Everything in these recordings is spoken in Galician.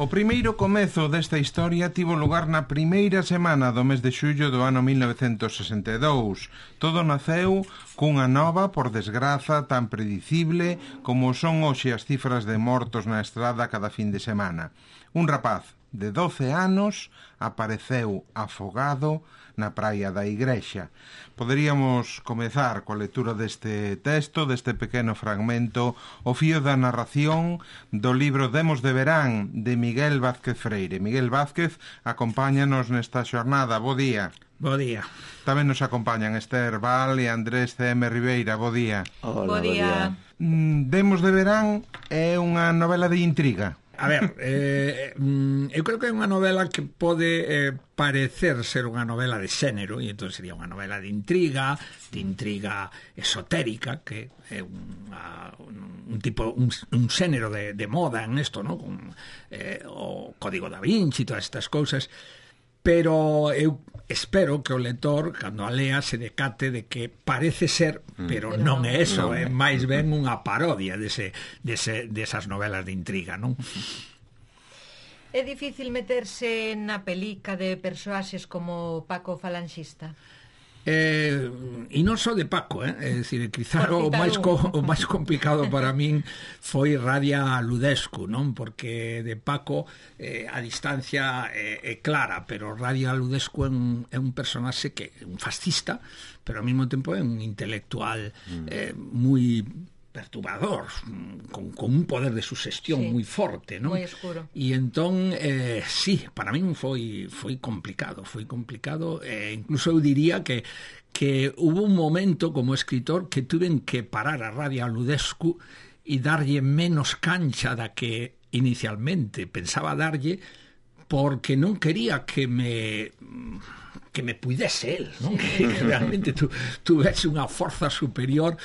O primeiro comezo desta historia tivo lugar na primeira semana do mes de xullo do ano 1962. Todo naceu cunha nova, por desgraza, tan predicible como son hoxe as cifras de mortos na estrada cada fin de semana. Un rapaz de 12 anos apareceu afogado na praia da Igrexa. Poderíamos comezar coa lectura deste texto, deste pequeno fragmento, o fío da narración do libro Demos de Verán, de Miguel Vázquez Freire. Miguel Vázquez acompáñanos nesta xornada. Bo día. Bo día. Tamén nos acompañan Esther Val e Andrés C.M. Ribeira. Bo día. Hola, bo día. Demos de Verán é unha novela de intriga. A ver, eu creo que é unha novela que pode parecer ser unha novela de xénero, e entón sería unha novela de intriga esotérica, que é un xénero de moda en isto, ¿no? Con o Código da Vinci e todas estas cousas, pero eu espero que o lector, cando a lea, se decate de que parece ser, pero non é eso, é máis ben unha parodia desas novelas de intriga, non? É difícil meterse na pelica de persoaxes como Paco Falanxista? E non só de Paco, é dicir, quizá o máis complicado para min foi Radia Ludescu, non? Porque de Paco a distancia é clara, pero Radia Ludescu é un personaxe que é un fascista, pero ao mesmo tempo é un intelectual moi perturbador, con un poder de sugestión moi forte, non? Moi escuro. E entón, sí, para min foi complicado, incluso eu diría que hubo un momento como escritor que tuven que parar a Radia Ludescu e darlle menos cancha da que inicialmente pensaba darlle, porque non quería que me puidese el, non? Que realmente tuvese unha forza superior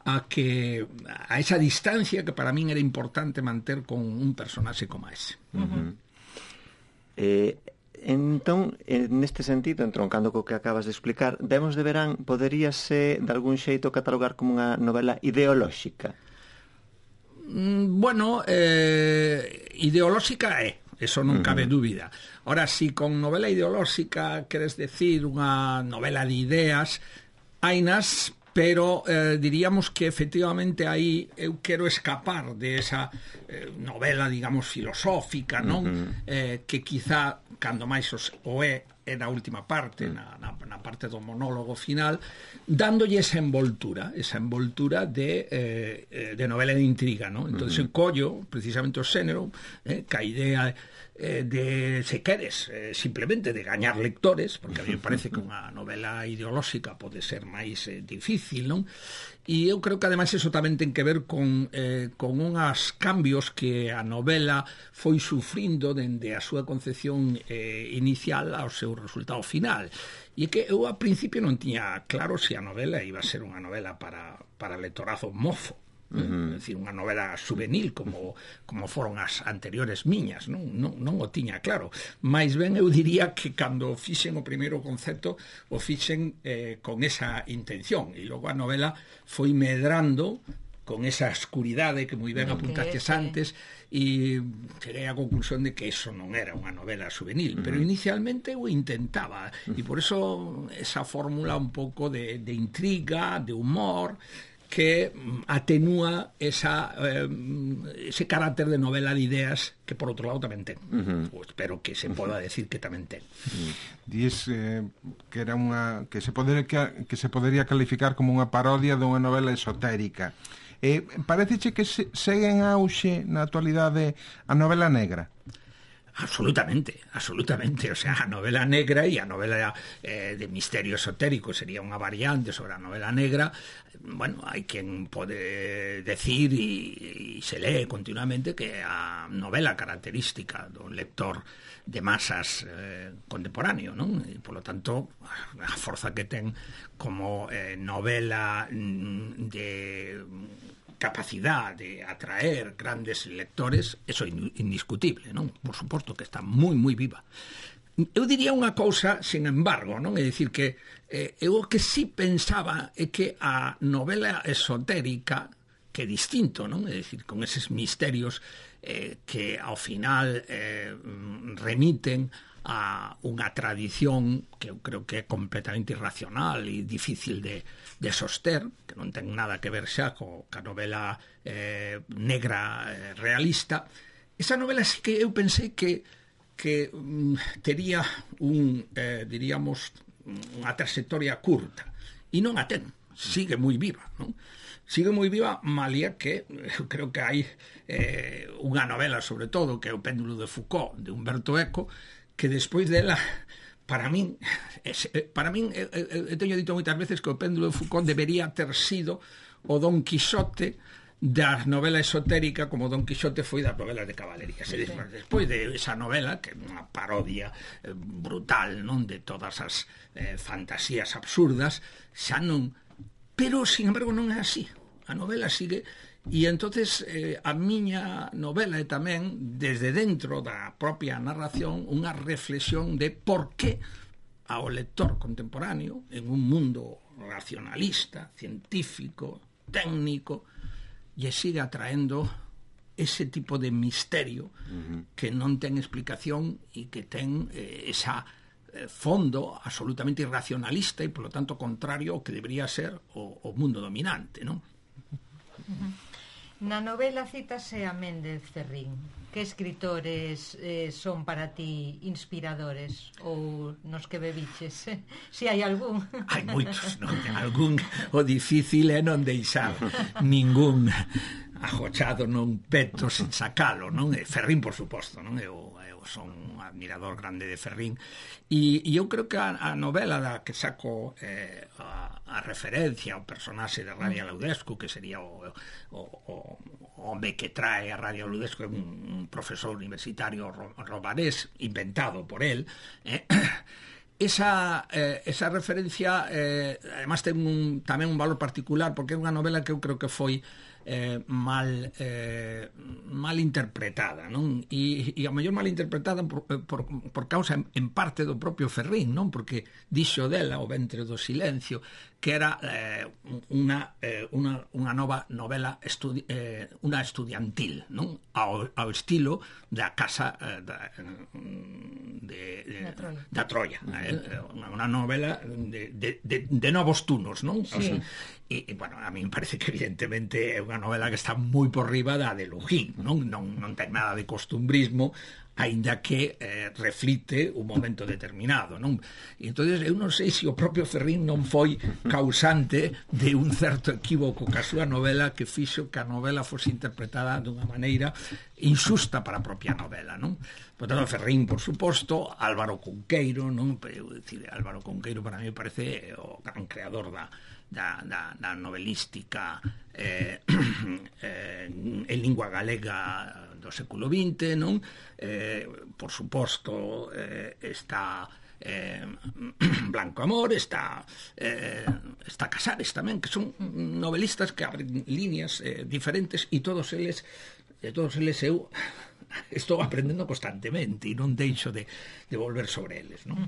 a esa distancia que para min era importante manter con un personaxe como ese. Entón, neste sentido, entroncando co que acabas de explicar, Demos de Verán poderíase de algún xeito catalogar como unha novela ideolóxica? Bueno, ideolóxica é, eso non cabe dúbida. Ora, si con novela ideolóxica queres decir unha novela de ideas, hainas, pero diríamos que efectivamente aí eu quero escapar de esa novela, digamos, filosófica, non? Que quizá, cando máis o é na última parte, na parte do monólogo final, dándolle esa envoltura de novela de intriga, non? Entón, eu collo precisamente o xénero, que a idea de, se queres, simplemente de gañar lectores, porque a mí me parece que unha novela ideolóxica pode ser máis difícil, non? E eu creo que ademais eso tamén ten que ver con unhas cambios que a novela foi sufrindo dende a súa concepción inicial ao seu resultado final. E que eu a principio non tiña claro se a novela iba a ser unha novela para lectorazo mofo, é dicir, unha novela juvenil como foron as anteriores miñas, non o tiña claro, máis ben eu diría que cando fixen o primeiro concepto o fixen con esa intención, e logo a novela foi medrando con esa escuridade que moi ben apuntaches antes, e cheguei á conclusión de que eso non era unha novela juvenil, pero inicialmente eu intentaba, e por eso esa fórmula un pouco de intriga, de humor, que atenúa ese carácter de novela de ideas que por outro lado tamén ten. Espero que se poda decir que tamén ten. Diz que era que se podería calificar como unha parodia dunha novela esotérica. Pareceche que segue en auxe na actualidade a novela negra? Absolutamente. O sea, a novela negra e a novela de misterio esotérico sería unha variante sobre a novela negra. Bueno, hai quen pode decir e se lee continuamente que a novela característica do lector de masas contemporáneo, non? E, polo tanto, a forza que ten como novela de capacidade de atraer grandes lectores, eso é indiscutible, non? Por suposto que está moi, moi viva. Eu diría unha cousa, sin embargo, non? É dicir que eu o que sí pensaba é que a novela esotérica, que é distinto, non? É dicir, con eses misterios que ao final remiten a unha tradición que eu creo que é completamente irracional e difícil de soster, que non ten nada que ver xa ca novela negra realista. Esa novela sí que eu pensei que tería diríamos, unha trayectoria curta, e non a ten, sigue moi viva, non? Sigue moi viva, malia que eu creo que hai unha novela, sobre todo, que é O péndulo de Foucault, de Humberto Eco, que despois dela, para min eu teño dito moitas veces que O péndulo de Foucault debería ter sido o Don Quixote da novela esotérica, como Don Quixote foi das novelas de cabalería. Despois de esa novela, que é unha parodia brutal, non, de todas as fantasías absurdas, xa non... Pero, sin embargo, non é así. A novela sigue... E entonces a miña novela é tamén, desde dentro da propia narración, unha reflexión de por que ao lector contemporáneo, en un mundo racionalista, científico, técnico, lle sigue atraendo ese tipo de misterio que non ten explicación e que ten esa fondo absolutamente irracionalista e, polo tanto, contrario ao que debería ser o mundo dominante, non? Na novela cítase a Méndez Ferrín. Que escritores son para ti inspiradores ou nos que bebiches? Se hai algún. Hai moitos, non? Algún o difícil é non deixar ningún ajochado non peto sin sacalo, non? Ferrín, por suposto, non? Eu son un admirador grande de Ferrín e eu creo que a novela da que saco a referencia ao personaxe de Radia Laudescu, que sería o home que trae a Radia Laudescu, un profesor universitario romanés inventado por él, esa referencia además ten tamén un valor particular, porque é unha novela que eu creo que foi mal interpretada, non? E a mellor mal interpretada por causa en parte do propio Ferrín, non? Porque dixo dela O ventre do silencio que era unha nova novela unha estudiantil, non? Ao estilo da casa da Troia, unha novela de novos tunos, non? Sí. E, bueno, a mí me parece que evidentemente é unha novela que está moi por riba da de Lujín, non ten nada de costumbrismo, aínda que reflite un momento determinado, non? E entonces eu non sei se o propio Ferrín non foi causante de un certo equívoco ca súa novela que fixo que a novela fose interpretada dunha maneira injusta para a propia novela, non? Por tanto, Ferrín, por suposto, Álvaro Cunqueiro, non? Eu decir, Álvaro Cunqueiro para mí parece o gran creador da novelística en lingua galega do século XX, non? Por suposto, está Blanco Amor, está Casares tamén, que son novelistas que abren líneas diferentes e todos eles eu estou aprendendo constantemente e non deixo de volver sobre eles, non?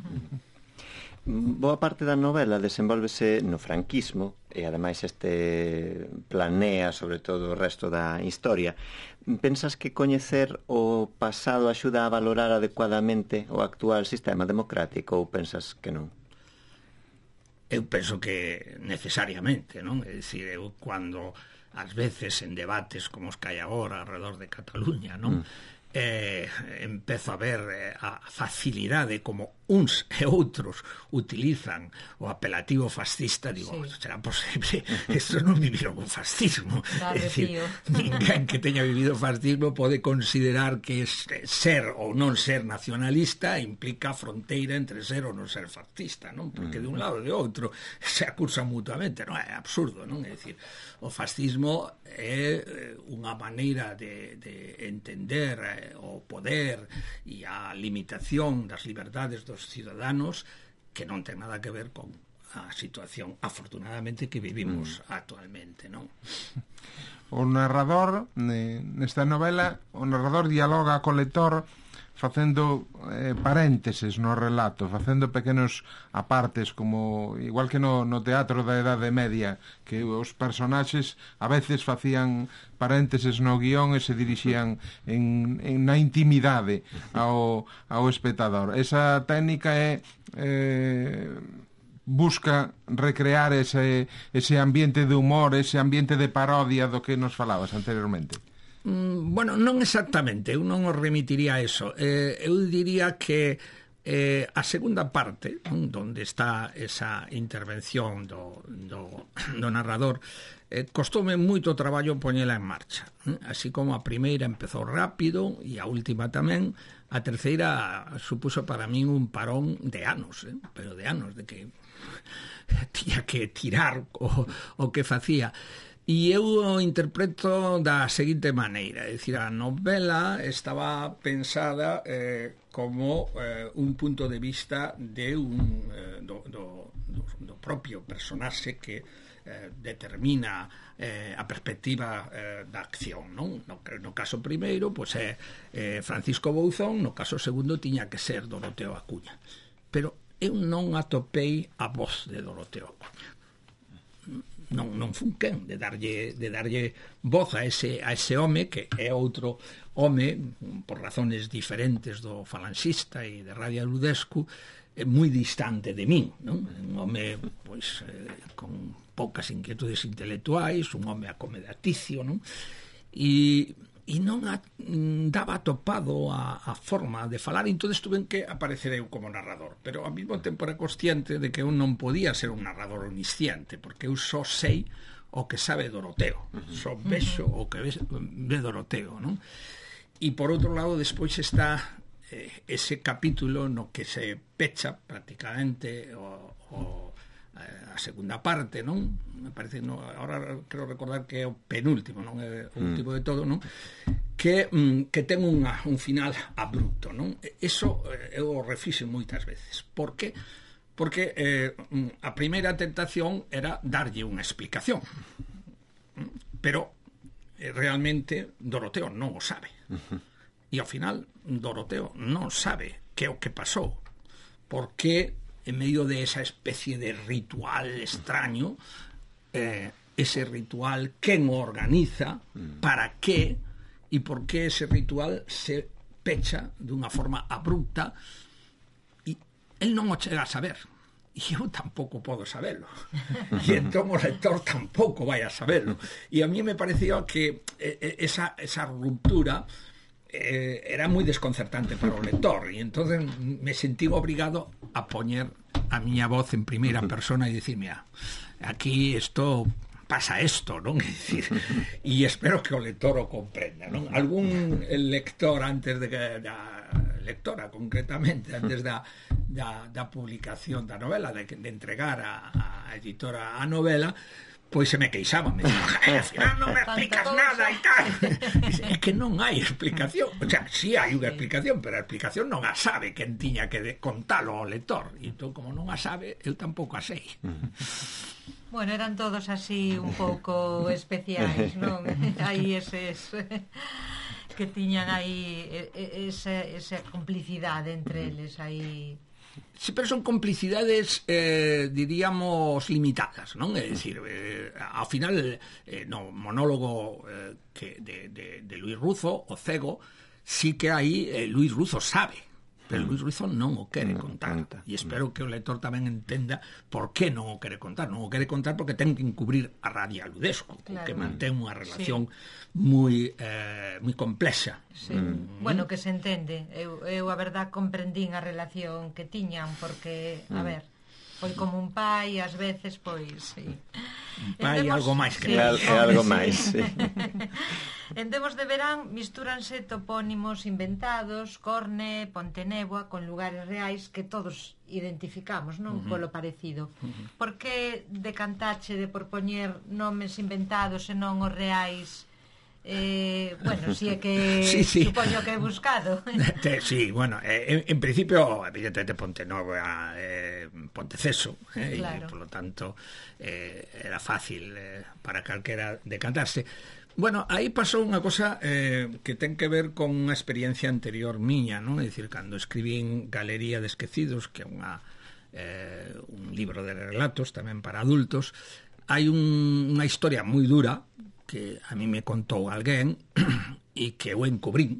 Boa parte da novela desenvólvese no franquismo e ademais planea sobre todo o resto da historia. Pensas que coñecer o pasado axuda a valorar adecuadamente o actual sistema democrático ou pensas que non? Eu penso que necesariamente, non? É dicir, eu cando ás veces en debates como os que hai agora alrededor de Cataluña, non? Empezo a ver a facilidade como uns e outros utilizan o apelativo fascista, digo, sí. Será posible, estos non viviron un fascismo. Claro, é dicir, ninguén que teña vivido fascismo pode considerar que ser ou non ser nacionalista implica fronteira entre ser ou non ser fascista, non? Porque de un lado e de outro se acusan mutuamente, non? É absurdo, non? É dicir, o fascismo é unha maneira de entender o poder e a limitación das liberdades dos ciudadanos que non ten nada que ver con a situación afortunadamente que vivimos actualmente, non? O narrador nesta novela, o narrador dialoga co lector facendo parénteses no relato, facendo pequenos apartes, como igual que no teatro da Edade Media, que os personaxes a veces facían parénteses no guión e se dirixían na intimidade ao espectador. Esa técnica busca recrear ese ambiente de humor, ese ambiente de parodia do que nos falabas anteriormente. Bueno, non exactamente, eu non os remitiría a eso. Eu diría que a segunda parte, onde está esa intervención do narrador, costoume moito traballo poñela en marcha. Así como a primeira empezou rápido e a última tamén, a terceira supuso para min un parón de anos, pero de anos, de que tiña que tirar o que facía. E eu o interpreto da seguinte maneira, é dicir, a novela estaba pensada como un punto de vista de do propio personaxe que determina a perspectiva da acción, non? No caso primeiro, pois é Francisco Bouzón, no caso segundo tiña que ser Doroteo Acuña. Pero eu non atopei a voz de Doroteo Acuña. Non fun quen de darlle voz a ese home, que é outro home por razones diferentes do falanxista e de Radio Ludescu, moi distante de min, non? Un home pois con poucas inquietudes intelectuais, un home acomodaticio, non? E non daba topado a forma de falar, entón tuve que aparecer eu como narrador, pero ao mesmo tempo era consciente de que eu non podía ser un narrador omnisciente, porque eu só sei o que sabe Doroteo, só vexo o que ve Doroteo, non? E por outro lado, despois está ese capítulo no que se pecha prácticamente a segunda parte, non? Me parece, ahora quero recordar que é o penúltimo, non é o último de todo, non? Que ten un final abrupto, non? Eso eu o refixo moitas veces. Por que? Porque a primeira tentación era darlle unha explicación, pero realmente Doroteo non o sabe. E ao final Doroteo non sabe que é o que pasou, porque en medio de esa especie de ritual extraño, ese ritual, quen o organiza, para qué, e por qué ese ritual se pecha dunha forma abrupta, e el non o chega a saber, e eu tampouco podo saberlo, e entón o lector tampouco vai a saberlo, e a mí me parecía que esa ruptura era moi desconcertante para o lector, e entonces me sentí obrigado a poñer a miña voz en primeira persona e dicir, mira, aquí pasa esto, non? E espero que o lector o comprenda, non? Algún lector antes de da lectora concretamente, antes da publicación da novela, de entregar a editora a novela, pois se me queixaba, me dicía, al final non me explicas nada e tal. É que non hai explicación, o sea, sí hai unha explicación, pero a explicación non a sabe quen tiña que contalo ao lector, e entón, como non a sabe, eu tampouco a sei. Bueno, eran todos así un pouco especiais, non? Hai eses que tiñan aí esa complicidade entre eles aí. Sí, pero son complicidades, diríamos, limitadas, non? É dicir, ao final, no monólogo de Luis Ruzo, o cego, sí que aí Luis Ruzo sabe, pero Luis Ruzo non o quere contar. E espero que o lector tamén entenda por que non o quere contar. Non o quere contar porque ten que encubrir a Radio Ludescu, claro, que mantén unha relación moi complexa. Sí. Bueno, que se entende. Eu a verdad comprendín a relación que tiñan, porque, a ver, foi como un pai, ás veces, pois, sí. Un pai algo máis que algo máis, sí. En Demos de Verán mistúranse topónimos inventados, Corne, Ponteneboa, con lugares reais que todos identificamos, non? Polo parecido. Por que decantache de por poñer nomes inventados e non os reais Bueno, si é que sí. supoño que he buscado. Sí, bueno, en principio, evidentemente Pontenova, Ponteceso, claro. y por lo tanto era fácil para calquera decantarse. Bueno, aí pasou unha cosa que ten que ver con unha experiencia anterior miña, non? É dicir, cando escribín Galería de Esquecidos, que é un libro de relatos tamén para adultos, hai unha historia moi dura que a mí me contou alguén e que eu encubrín,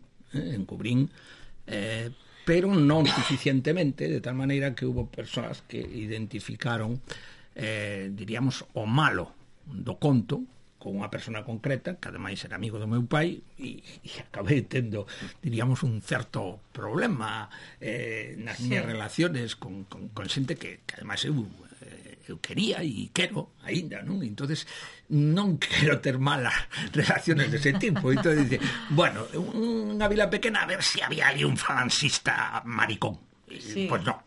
pero non suficientemente, de tal maneira que hubo persoas que identificaron, diríamos, o malo do conto con unha persona concreta, que ademais era amigo do meu pai, e acabei tendo, diríamos, un certo problema nas miñas relaciones con xente que ademais eu quería e quero aínda, non? Entonces non quero ter malas relaciones dese tipo. Entón dice, bueno, unha vila pequena, a ver se había ali un falancista maricón. Sí, pues no.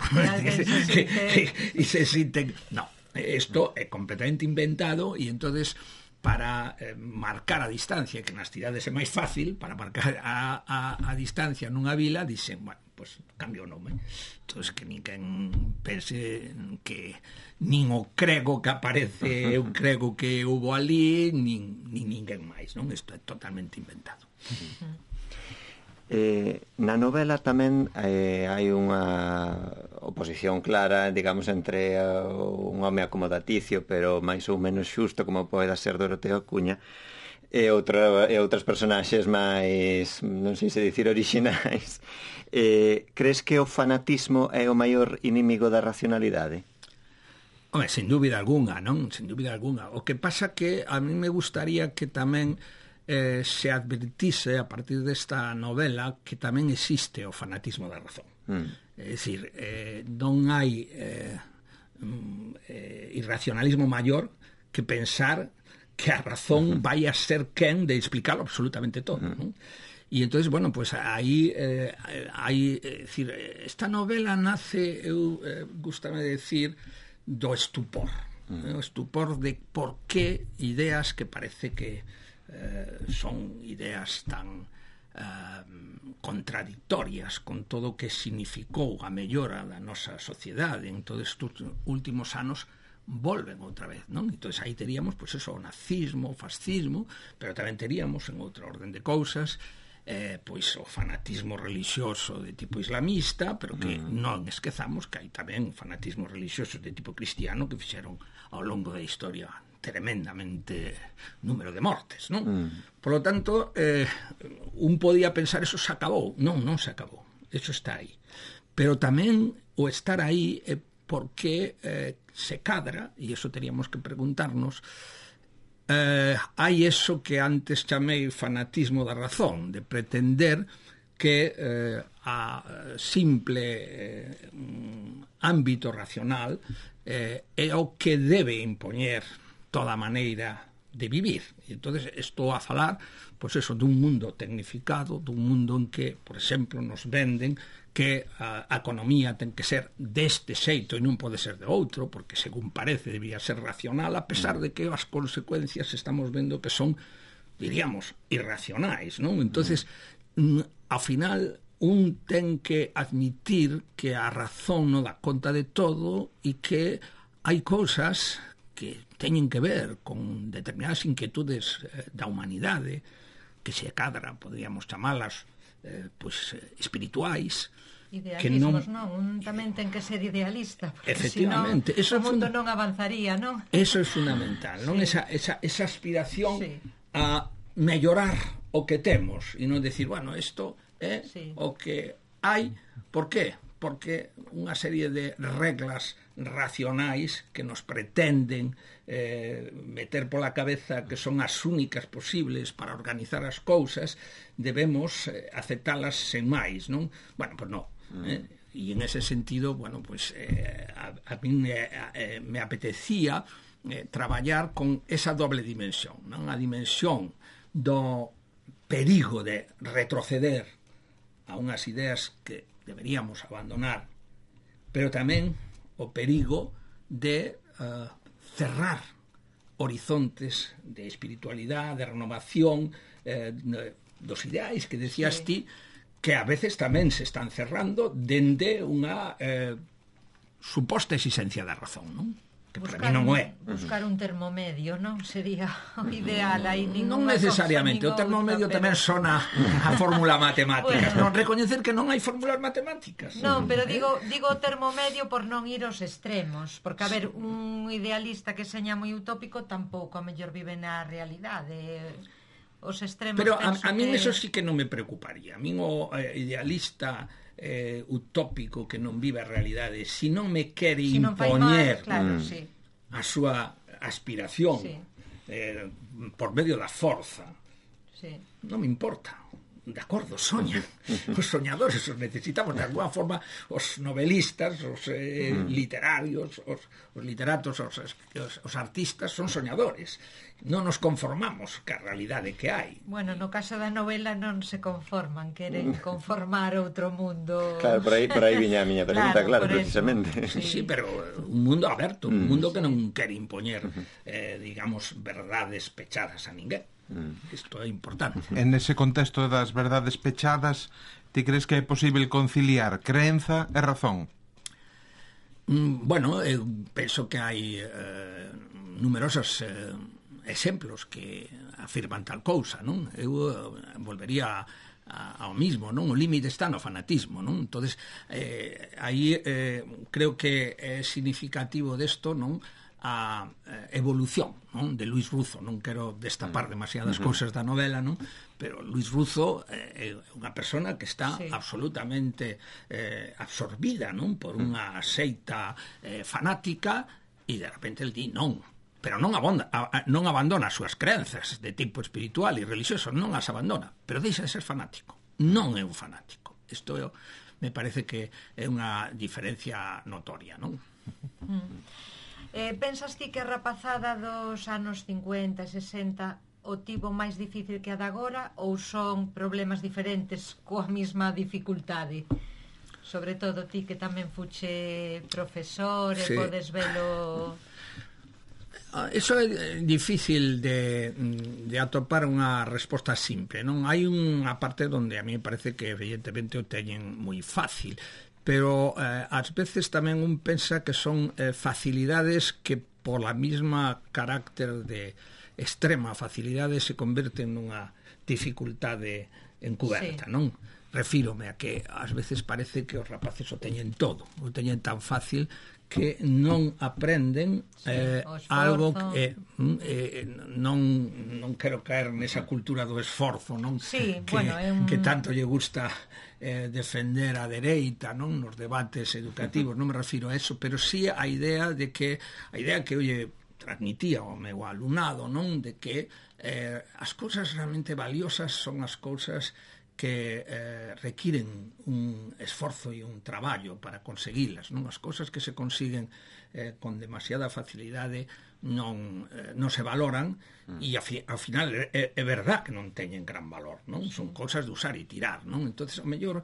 E se sinten... No, isto é completamente inventado e entonces para marcar a distancia, que nas cidades é máis fácil, para marcar a distancia nunha vila, dixen, bueno, pues cambio o nome. Entón, que ninguén pense que nin o crego que aparece eu crego que hubo ali, nin ninguén máis, non? Isto é totalmente inventado. Na novela tamén hai unha oposición clara, digamos, entre un home acomodaticio, pero máis ou menos xusto, como poida ser Doroteo Acuña, e outras personaxes máis, non sei se dicir, orixinais. Crees que o fanatismo é o maior inimigo da racionalidade? Home, sen dúbida algunha, non? Sen dúbida algunha. O que pasa que a mí me gustaría que tamén se advertise a partir desta novela que tamén existe o fanatismo da razón. É dicir, non hai irracionalismo maior que pensar que a razón vai a ser quen de explicarlo absolutamente todo, non? E entonces, bueno, pues aí decir, esta novela nace, gústame decir, do estupor, o estupor de por que ideas que parece que son ideas tan contradictorias con todo o que significou a mellora da nosa sociedade en todos estes últimos anos volven outra vez, non? Entón, aí teríamos, pois, eso, o nazismo, o fascismo, pero tamén teríamos, en outra orden de cousas, pois o fanatismo religioso de tipo islamista, pero que non esquezamos que hai tamén fanatismo religioso de tipo cristiano que fixeron ao longo da historia tremendamente número de mortes, non? Por lo tanto, un podía pensar eso se acabou. Non se acabou. Eso está aí. Pero tamén o estar aí é porque se cadra, e eso teríamos que preguntarnos, hai eso que antes chamei fanatismo da razón, de pretender que a simple ámbito racional é o que debe impoñer toda maneira de vivir. E entonces estou a falar, pois eso, dun mundo tecnificado, dun mundo en que, por exemplo, nos venden que a economía ten que ser deste xeito e non pode ser de outro, porque según parece debía ser racional, a pesar de que as consecuencias estamos vendo que son, diríamos, irracionais, non? Entonces, ao final, un ten que admitir que a razón non dá conta de todo e que hai cousas que teñen que ver con determinadas inquietudes da humanidade, que se cadra, podríamos chamalas, pois, espirituais. Idealismos, non? Un tamén ten que ser idealista, porque efectivamente, senón o mundo non avanzaría, non? Eso é fundamental, non? Sí. Esa aspiración sí. a mellorar o que temos e non decir, bueno, isto é o que hai. Por qué? Porque unha serie de reglas racionais que nos pretenden meter pola cabeza que son as únicas posibles para organizar as cousas, debemos aceptalas sen máis, non? Bueno, pois non. E en ese sentido, bueno, pues a mí me apetecía traballar con esa doble dimensión, non? A dimensión do perigo de retroceder a unhas ideas que deberíamos abandonar, pero tamén o perigo de cerrar horizontes de espiritualidade, de renovación, dos ideais que decías ti, que a veces tamén se están cerrando dende unha suposta existencia da razón, non? Que para mí non é. Buscar un termomedio, non? Sería o ideal. Aí non necesariamente, o termomedio tamén sona a fórmula matemática. Non recoñecer que non hai fórmulas matemáticas. Non, pero digo termomedio por non ir aos extremos, porque a ver, un idealista que seña moi utópico tampouco a mellor vive na realidade. Os extremos. Pero a min eso sí que non me preocuparía. A min o idealista utópico que non vive a realidade, se non me quere impoñer a súa aspiración por medio da forza, non me importa. De acordo, soñan. Os soñadores os necesitamos de alguna forma, os novelistas, os literarios, os literatos, os artistas son soñadores. Non nos conformamos ca realidade que hai. Bueno, no caso da novela non se conforman, queren conformar outro mundo. Claro, por aí viña a miña pregunta, claro, precisamente. Sí, pero un mundo aberto, un mundo que non quere impoñer, digamos, verdades pechadas a ninguén. Isto é importante. En ese contexto das verdades pechadas, ti crees que é posible conciliar creenza e razón? Bueno, eu penso que hai numerosos exemplos que afirman tal cousa, non? Eu volvería ao mismo, non? O límite está no fanatismo, non? Entonces, aí creo que é significativo desto, non? A evolución, non? De Luis Ruzo. Non quero destapar demasiadas cousas da novela, non? Pero Luis Ruzo é unha persona que está absolutamente absorbida, non? Por unha seita fanática, e de repente el di non, pero non abandona as súas crenzas de tipo espiritual e religioso, non as abandona, pero deixa de ser fanático, non é un fanático. Isto me parece que é unha diferencia notoria, non? Pensas ti que a rapazada dos anos 50 e 60 o tivo máis difícil que a de agora, ou son problemas diferentes coa mesma dificultade? Sobre todo ti que tamén fuche profesor e podes velo... Eso é difícil de atopar unha resposta simple, non? Hai unha parte onde a mí me parece que evidentemente o teñen moi fácil, pero ás veces tamén un pensa que son facilidades que pola mesma carácter de extrema facilidade se converten nunha dificultade encuberta, non? Refírome a que ás veces parece que os rapaces o teñen todo, o teñen tan fácil que non aprenden algo que non quero caer nesa cultura do esforzo, non? Que tanto lle gusta defender a dereita, non? Nos debates educativos, non me refiro a eso, pero sí a idea que olle transmitía ao meu alumnado, non? De que as cousas realmente valiosas son as cousas que requiren un esforzo e un traballo para conseguilas, non? As cousas que se consiguen con demasiada facilidade non se valoran e ao final é verdad que non teñen gran valor, non? Son cousas de usar e tirar, non? Entonces, ao mellor,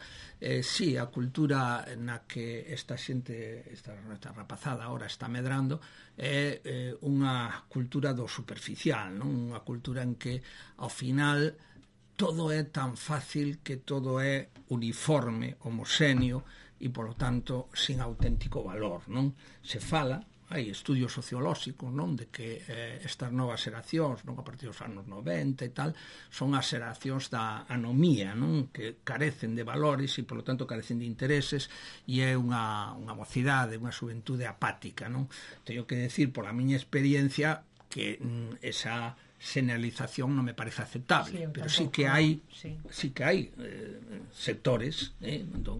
sí, a cultura na que esta xente, esta rapazada ahora está medrando é unha cultura do superficial, non? Unha cultura en que ao final todo é tan fácil, que todo é uniforme, homoxéneo e, polo tanto, sin auténtico valor, non? Se fala, hai estudios sociolóxicos, non? De que estas novas xeracións, non? A partir dos anos 90 e tal, son as xeracións da anomía, non? Que carecen de valores e, polo tanto, carecen de intereses, e é unha mocidade, unha xuventude apática, non? Teño que decir, pola miña experiencia, que esa generalización non me parece aceptable, pero sí que hai sectores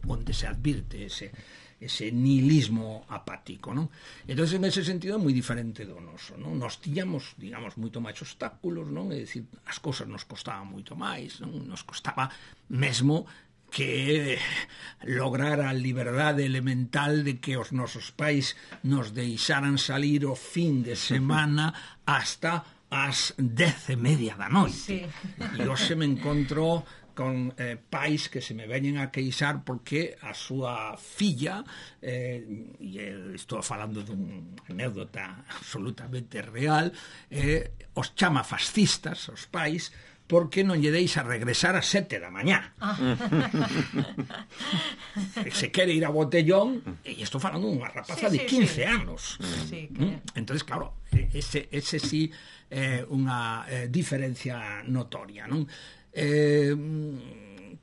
onde se advirte ese nihilismo apático, non? Entón, en ese sentido, é moi diferente do noso, non? Nos tiñamos, digamos, moito máis obstáculos, non? É dicir, as cousas nos costaban moito máis, non? Nos costaba mesmo que lograr a liberdade elemental de que os nosos pais nos deixaran salir o fin de semana hasta as 10:30 da noite. E hoxe me encontro con pais que se me veñen a queixar porque a súa filla, estou falando dun anécdota absolutamente real, os chama fascistas, os pais, porque non lle deixa regresar a 7 da mañá. Se quere ir a botellón, e estou falando dunha rapaza de 15 anos. Entonces, claro, ese sí é unha diferencia notoria, non?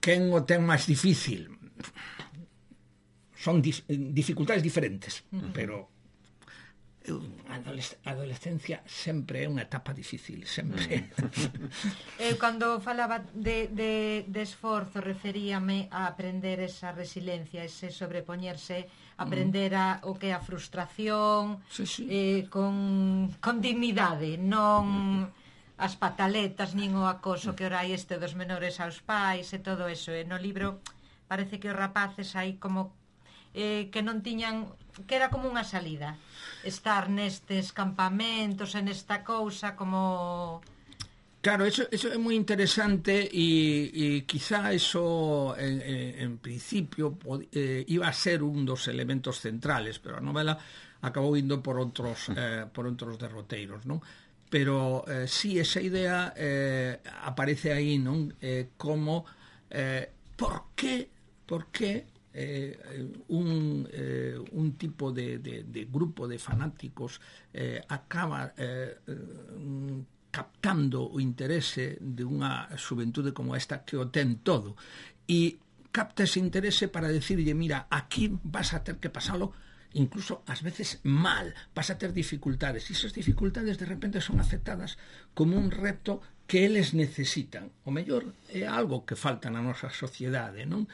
Quen o ten máis difícil? Son dificultades diferentes, pero a adolescencia sempre é unha etapa difícil, sempre. Eu cando falaba de esforzo referíame a aprender esa resiliencia, ese sobrepoñerse, aprender o que é a frustración, con dignidade, non as pataletas nin o acoso que ora hai dos menores aos pais e todo eso. E no libro parece que os rapaces aí como que non tiñan, que era como unha salida, estar nestes campamentos, en esta cousa como... Claro, eso é moi interesante e quizá eso en principio iba a ser un dos elementos centrales, pero a novela acabou indo por outros derroteiros, non? Pero sí, esa idea aparece aí, non? Como por que un tipo de grupo de fanáticos acaba captando o interese de unha xuventude como esta que o ten todo, e capta ese interese para decirlle, mira, aquí vas a ter que pasalo incluso ás veces mal, vas a ter dificultades, e esas dificultades de repente son aceptadas como un reto que eles necesitan. O mellor é algo que falta na nosa sociedade, non?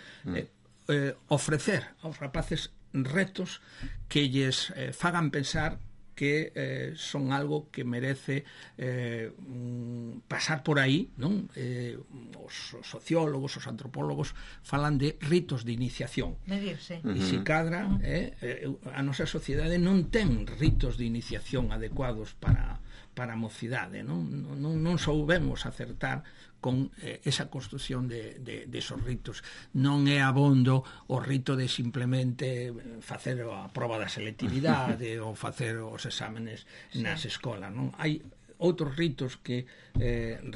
Ofrecer aos rapaces retos que lles fagan pensar que son algo que merece pasar por aí, non? Os sociólogos, os antropólogos falan de ritos de iniciación. Medirse. E se cadra, a nosa sociedade non ten ritos de iniciación adecuados para a mocidade, non soubemos acertar con esa construción de esos ritos. Non é abondo o rito de simplemente facer a proba da selectividade ou facer os exámenes nas escolas, non? Hai outros ritos que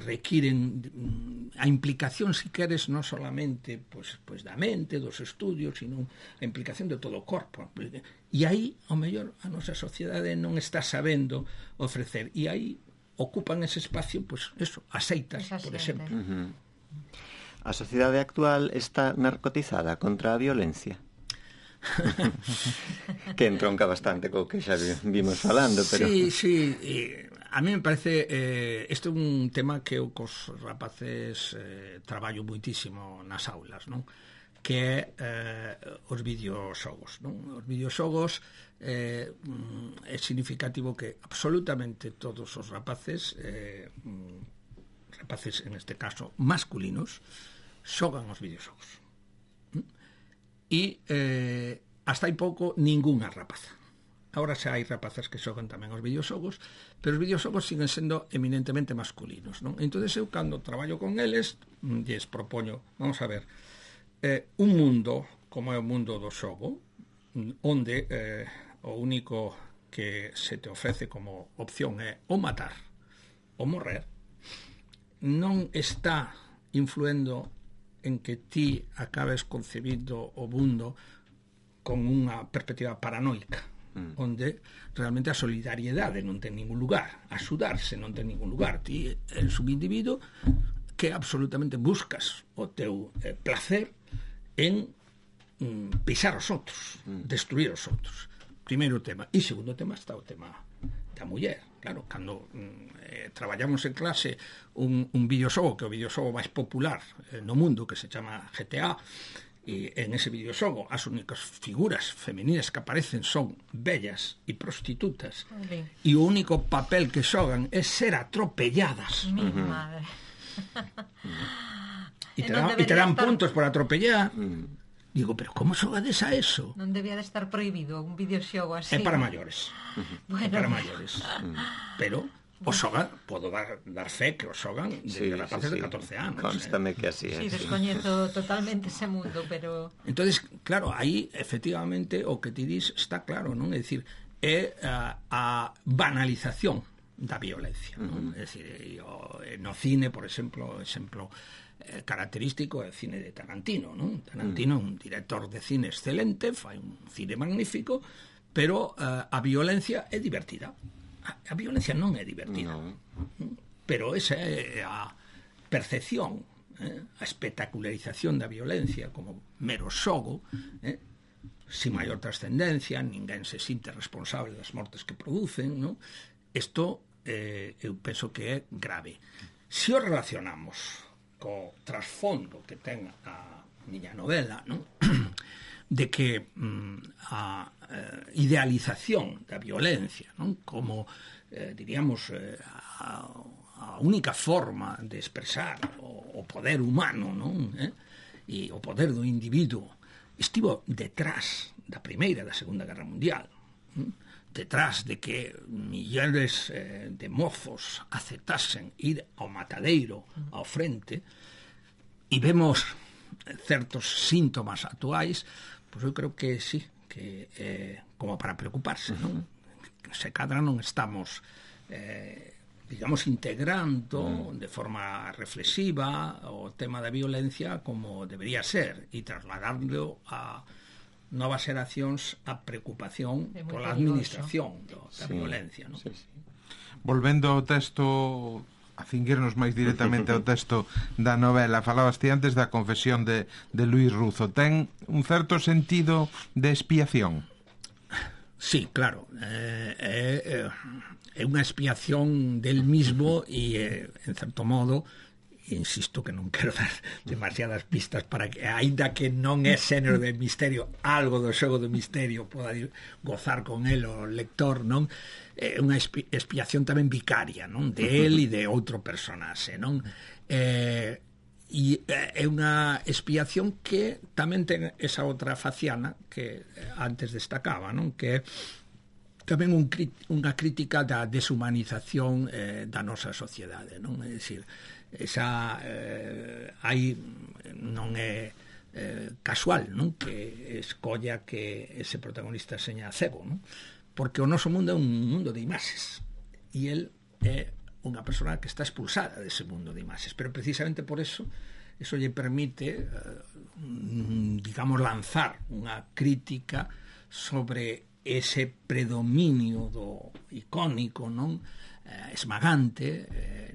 requiren a implicación, si queres, non solamente pues da mente, dos estudios, sino a implicación de todo o corpo. E aí, ao mellor, a nosa sociedade non está sabendo ofrecer, e aí ocupan ese espacio, pues eso, aceitas, por exemplo. A sociedade actual está narcotizada contra a violencia? Que entronca bastante co que xa vimos falando, pero... Sí, a mí me parece este é un tema que eu cos rapaces traballo muitísimo nas aulas, non? Que é os videoxogos, non? Os videoxogos é significativo que absolutamente todos os rapaces en este caso masculinos, xogan os videoxogos. E hasta hai pouco ningunha rapaza. Agora xa hai rapazas que xogan tamén os videoxogos, pero os videoxogos siguen sendo eminentemente masculinos, non? Entón, eu, cando traballo con eles, lles propoño, vamos a ver, un mundo como é o mundo do xogo, onde o único que se te ofrece como opción é ou matar ou morrer, non está influendo en que ti acabes concebindo o mundo con unha perspectiva paranoica, onde realmente a solidariedade non ten ningún lugar, axudarse non ten ningún lugar. Ti eres un individuo que absolutamente buscas o teu placer en pisar os outros, destruir os outros. Primeiro tema. E segundo tema está o tema da muller. Claro, cando traballamos en clase un videoxogo, que é o videoxogo máis popular no mundo, que se chama GTA, e en ese videoxogo as únicas figuras femeninas que aparecen son bellas e prostitutas, e o único papel que xogan é ser atropelladas. Mi madre. E te dan puntos por atropellar. Digo, pero como xogades a eso? Non debía de estar prohibido un videoxogo así. É para maiores. Bueno. É para maiores. Pero O xogan, podo dar fe que o xogan desde rapaces de 14 anos. Constame que así é. Sí, descoñezo totalmente ese mundo, pero... Entonces, claro, aí, efectivamente, o que ti dis está claro, non? É dicir, é a banalización da violencia, non? É dicir, no cine, por exemplo, característico é o cine de Tarantino, non? Tarantino é un director de cine excelente, fai un cine magnífico, pero a violencia é divertida. A violencia non é divertida, pero esa é a percepción, a espectacularización da violencia como mero xogo, sin maior trascendencia, ninguén se sinte responsable das mortes que producen, non? Isto eu penso que é grave. Se o relacionamos co trasfondo que ten a miña novela, non? De que a idealización da violencia, non? Como, diríamos, a única forma de expresar o poder humano, non? E o poder do individuo estivo detrás da Primeira e da Segunda Guerra Mundial, detrás de que millóns de mozos aceptasen ir ao matadeiro, ao frente, e vemos certos síntomas actuais, pois eu creo que sí, que como para preocuparse, non? Se cadra non estamos digamos integrando de forma reflexiva o tema da violencia como debería ser e trasladarlo a novas xeracións a preocupación pola administración da violencia, non? Sí. Volvendo ao texto, a cinguirnos máis directamente ao texto da novela, falabas ti antes da confesión de Luis Ruzo. Ten un certo sentido de expiación? Sí, claro. É unha expiación del mismo e, en certo modo, insisto que non quero dar demasiadas pistas para que, aínda que non é xénero de misterio, algo do xogo do misterio poda gozar con el o lector, non? É unha expiación tamén vicaria, non? De él e de outro personaxe, non? E é unha expiación que tamén ten esa outra faciana que antes destacaba, non? Que é tamén unha crítica da deshumanización da nosa sociedade, non? É dicir, esa aí non é casual, non? Que escolla que ese protagonista seña cego, non? Porque o noso mundo é un mundo de imaxes e el é unha persona que está expulsada dese mundo de imaxes, pero precisamente por eso lle permite digamos lanzar unha crítica sobre ese predominio do icónico, non? Esmagante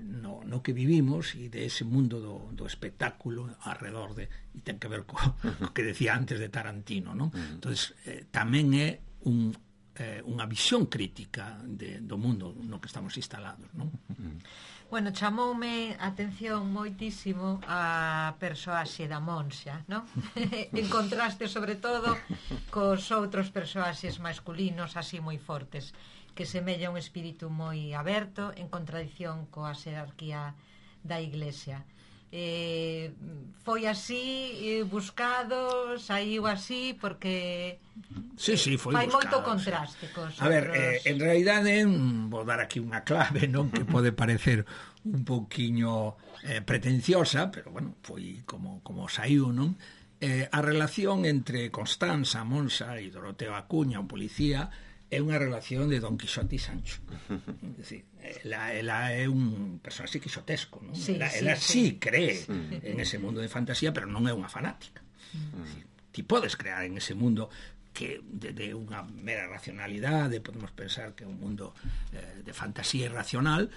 no que vivimos e de ese mundo do espectáculo alrededor de, e ten que ver co que decía antes de Tarantino, non? Entonces tamén é unha visión crítica do mundo no que estamos instalados, non? Bueno, chamoume a atención moitísimo a persoaxe da Monxa, non? En contraste, sobre todo, cos outros persoaxes masculinos así moi fortes, que semella un espírito moi aberto, en contradición coa xerarquía da Iglesia. Foi así buscado, saiu así porque sí, foi fai buscado, moito contraste cos a ver, en realidade vou dar aquí unha clave, non? Que pode parecer un pouquiño pretenciosa, pero bueno, foi como saiu, non? A relación entre Constanza, Monxa e Doroteo Acuña, o policía, é unha relación de Don Quixote e Sancho. É dicir, ela é un personaxe quixotesco, non? Sí, ela sí cree en ese mundo de fantasía, pero non é unha fanática. Ti podes crear en ese mundo que de unha mera racionalidade, podemos pensar que é un mundo de fantasía irracional,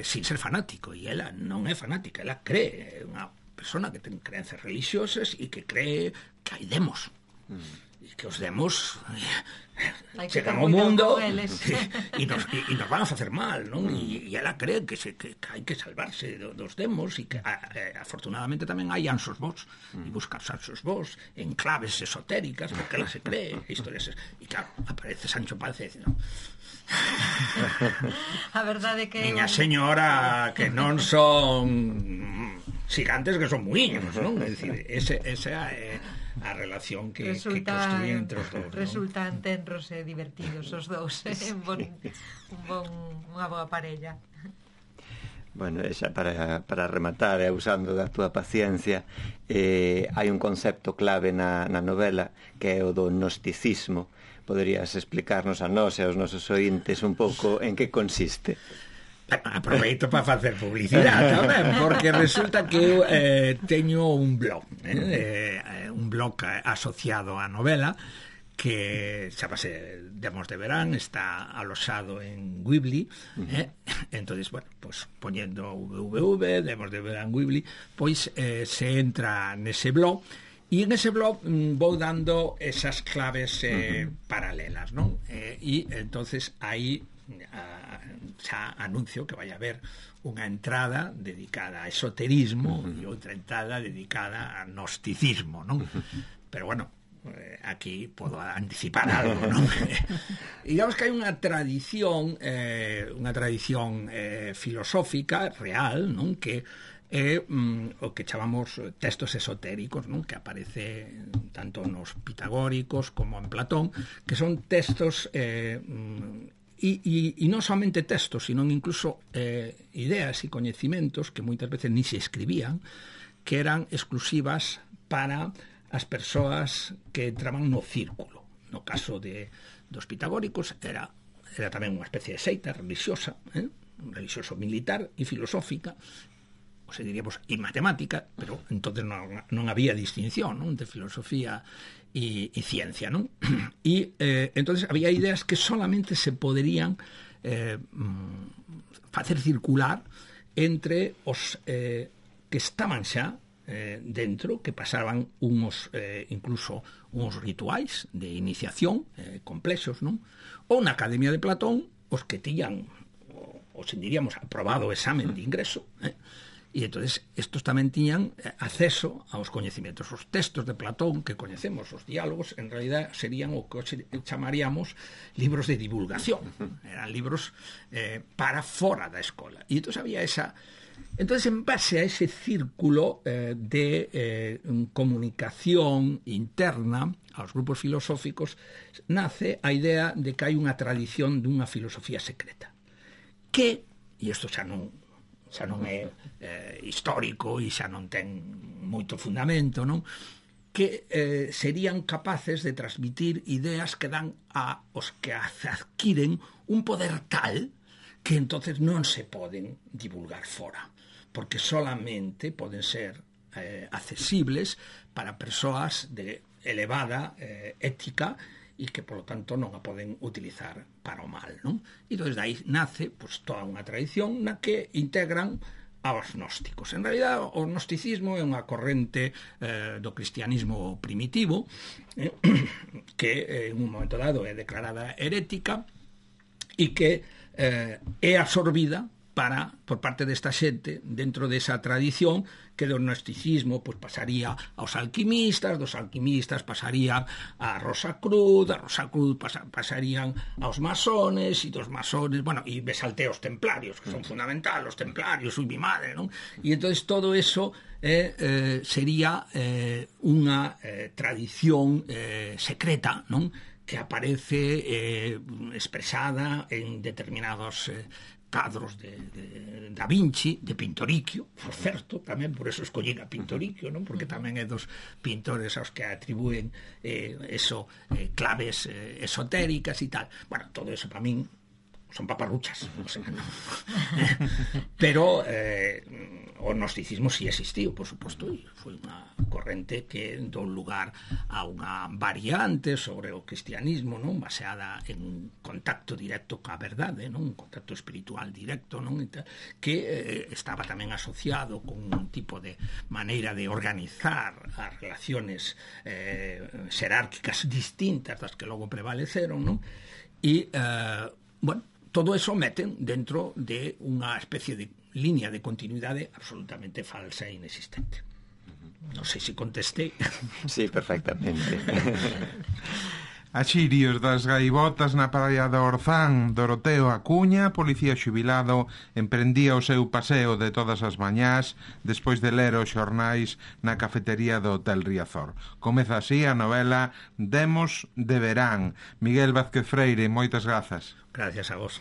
sin ser fanático, e ela non é fanática, ela cree, é unha persona que ten creencias religiosas e que cree que hai demos. E que os demos chegan ao mundo e nos van a facer mal, non? E ela cree que hai que salvarse dos demos e que afortunadamente tamén hai anxos vos e buscar anxos vos en claves esotéricas porque ela se cree historias, e claro, aparece Sancho Panza e dice, non, a verdade que miña señora, que non son xigantes, que son muiños, non? É dicir, esa é a relación que construyen entre os dous, resultan tenros e divertidos os dous, unha boa parella. Bueno, xa para rematar, usando da túa paciencia, hai un concepto clave na novela que é o do gnosticismo. Poderías explicarnos a nós e aos nosos ointes un pouco en que consiste? Aproveito para facer publicidade tamén, porque resulta que eu teño un blog asociado á novela que chamase Demos de Verán, está alojado en Weebly, entonces, bueno, pues poñendo www, Demos de Verán Weebly, pois se entra nese blog, e en ese blog vou dando esas claves paralelas, non? E entonces aí xa anuncio que vai haber unha entrada dedicada a esoterismo e outra entrada dedicada a gnosticismo, non? Pero bueno, aquí podo anticipar algo, non? E digamos que hai unha tradición filosófica real, non? Que é o que chamamos textos esotéricos, non? Que aparece tanto nos pitagóricos como en Platón, que son textos e non somente textos, sino incluso ideas e coñecimentos que moitas veces ni se escribían, que eran exclusivas para as persoas que entraban no círculo. No caso dos pitagóricos era tamén unha especie de seita religiosa, religioso militar e filosófica, ou se diríamos, e matemática, pero entonces non había distinción, non, de filosofía e ciencia, non? E entonces había ideas que solamente se poderían facer circular entre os que estaban xa dentro, que pasaban incluso uns rituais de iniciación complexos, non? Ou na Academia de Platón, os que tiñan, diríamos, aprobado o examen de ingreso, e entonces estos tamén tiñan acceso aos coñecimentos. Os textos de Platón que coñecemos, os diálogos, en realidad serían o que chamaríamos libros de divulgación, eran libros para fora da escola, e entonces había esa. Entonces, en base a ese círculo de comunicación interna aos grupos filosóficos, nace a idea de que hai unha tradición dunha filosofía secreta que, e isto xa non é histórico e xa non ten moito fundamento, non? Que serían capaces de transmitir ideas que dan aos que adquiren un poder tal que entonces non se poden divulgar fora, porque solamente poden ser accesibles para persoas de elevada ética e que, polo tanto, non a poden utilizar para o mal, non? E entón, dai nace pues, toda unha tradición na que integran aos gnósticos. En realidad, o gnosticismo é unha corrente do cristianismo primitivo que en un momento dado é declarada herética e que é absorbida por parte desta xente dentro desa tradición que do gnosticismo pues, pasaría aos alquimistas, dos alquimistas pasarían a Rosacruz, da Rosacruz pasarían aos masones, e dos masones, bueno, e me salté aos templarios, que son fundamental, os templarios, ui, mi madre, non? E entonces todo eso sería unha tradición secreta, non? Que aparece expresada en determinados cadros de Da Vinci, de Pintoricchio, por certo, tamén por eso escollín a Pintoricchio, non? Porque tamén é dos pintores aos que atribúen claves esotéricas e tal. Bueno, todo eso para min son paparruchas, o sea, no. Pero o gnosticismo sí existiu, por suposto, e foi unha corrente que dou lugar a unha variante sobre o cristianismo, non, baseada en un contacto directo coa verdade, non, un contacto espiritual directo, non, que estaba tamén asociado con un tipo de maneira de organizar as relaciones xerárquicas distintas das que logo prevaleceron, non, e bueno, todo eso meten dentro de unha especie de línea de continuidade absolutamente falsa e inexistente. Non sei se contestei. Sí, perfectamente. Axirios das gaivotas na praia de Orzán, Doroteo Acuña, policía xubilado, emprendía o seu paseo de todas as mañás despois de ler os xornais na cafetería do Hotel Riazor. Comeza así a novela Demos de Verán. Miguel Vázquez Freire, moitas grazas. Gracias a vos.